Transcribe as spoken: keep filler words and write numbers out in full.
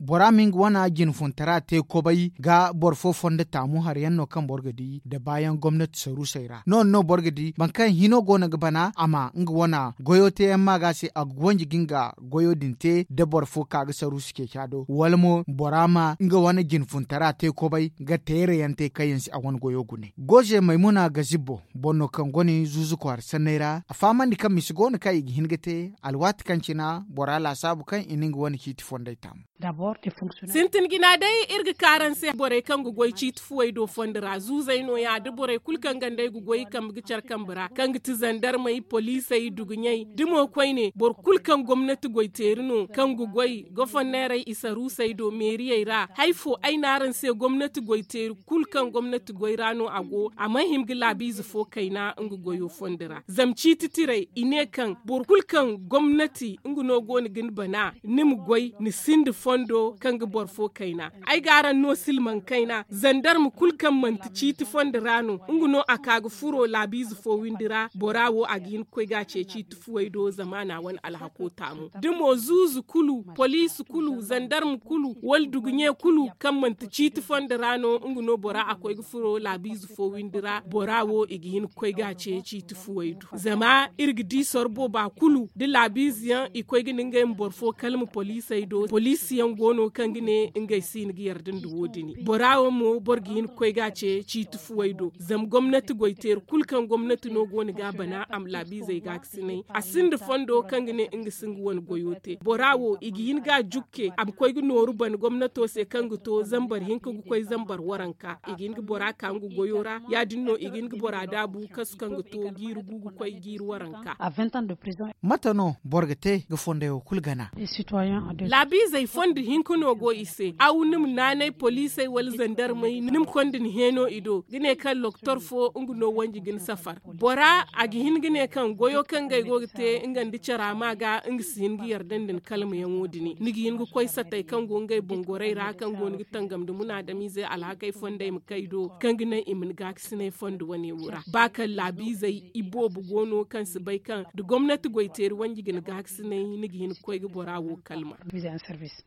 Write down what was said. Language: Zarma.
Bora ma nga wane jinfuntara te kobay ga boro fo fondo taamu hari yaŋ no kaŋ boro ga di nda baayaŋ gomnati saruusey ra no- din no boro ga di boro kaŋ hino go no ga bana a ma nga wane goyo te yaŋ maaga se a ga wanji ga nga goyo din te da boro fo ka ga saruusu ceeca do wala mo bora ma nga wane jinfuntara te kobay ga teere yaŋ te kaŋ yaŋ si a wane goyo gune. Goze maymuna ga zibbo boro no kaŋ gone zuuzu kwaara sanney ra a fahamandi kaŋ misa go no kaŋ i ga hin ga te alwaati kaŋ cina bora laasaabu kaŋ i na nga wane ciiti fondey taamu. Sintin jina day iri ga kaaranse borey kaŋ ga goy ciiti fuwey do fondo ra zuuzey no- ya da borey kulu kaŋ ganda ay ga goy i kambe ga care kambe ra kaŋ ga ti zandarmey poliisey duguɲey da mo koyne boro kulu kaŋ gomnati goyteeri no kaŋ ga goy goforneerey isaruusey do meeriyey ra hari fo ay ne araŋ se gomnati goyteeri kulu kaŋ gomnati goy ra no a go a mana hima ga laabiize fo kayna nga goyo fondo ra zama ciiti tirey i ne kaŋ boro kulu kaŋ gomnati nga no go no ga ni bana ni ma goy ni sinda fondo kaŋ ga boro fo kayna. Ay ga araŋ no silmaŋ kayna zandarma kulu kaŋ manti ciiti fondo ra no nga no a ka ga furo laabiize fo windi ra bora wo a ga hin ga koy ga a ce ciiti fuwey do zamaana wane alhako taamu da mo zuuzu kulu poliisi kulu zandarma kulu wala duguɲe kulu kaŋ manti ciiti fondo ra no nga no bora a koy ga furo laabiize fo windi ra bora wo i ga hin ga koy ga a ce ciiti fuwey do zama iri ga di sorbo ba kulu da laabiize yaŋ i koy ga ne ngey ma boro fo kalma poliisey do poliisi yaŋ go no kaŋ ga ne ngey si hin ga yarda nda wo- din bora wo mo boro ga hin ga koy ga a ce ciiti fuwey do zama gomnati goyteeri kulu kaŋ gomnati no go no ga a bana a ma laabiizey gaakasinay a sinda fondo kaŋ ga ne nga si nga wane goyo te bora wo i ga hin ga a jukke a ma koy ga nooru bana gomnato se kaŋ ga to zambar hinka ga koy zambar waranka i ga hin ga bora ka nga goyo ra ya- din no i ga hin ga bora daabu kasu kaŋ ga to jiiri gu ga koy jiiri waranka. Mate no boro ga te ga fondey wo kulu gana? Laabiizey fondo hinka no go i se aw ni ma naanay poliisey wala zandarmey ni ma konda ni heeno i do ga ne kaŋ loktor fo nga no wanji ga ni safar bora a ga hin ga ne kaŋ goyo kaŋ ngey go ga te nga nda cara ma ga nga si hin ga yarda nda ni kalmayaŋo din ni ga hin ga koy satey kaŋ go ngey boŋ gorey ra kaŋ go ni ga tangam nda munaadamiizey alhakey fondey ma kay do kaŋ ga naŋ i ma ni gaakasinay fondo wane wo ra ba kaŋ laabiizey iboobo go no kaŋ si bay kaŋ da gomnati goyteeri wanji ga ni gaakasinay ni ga hin ga koy ga bora wo kalma.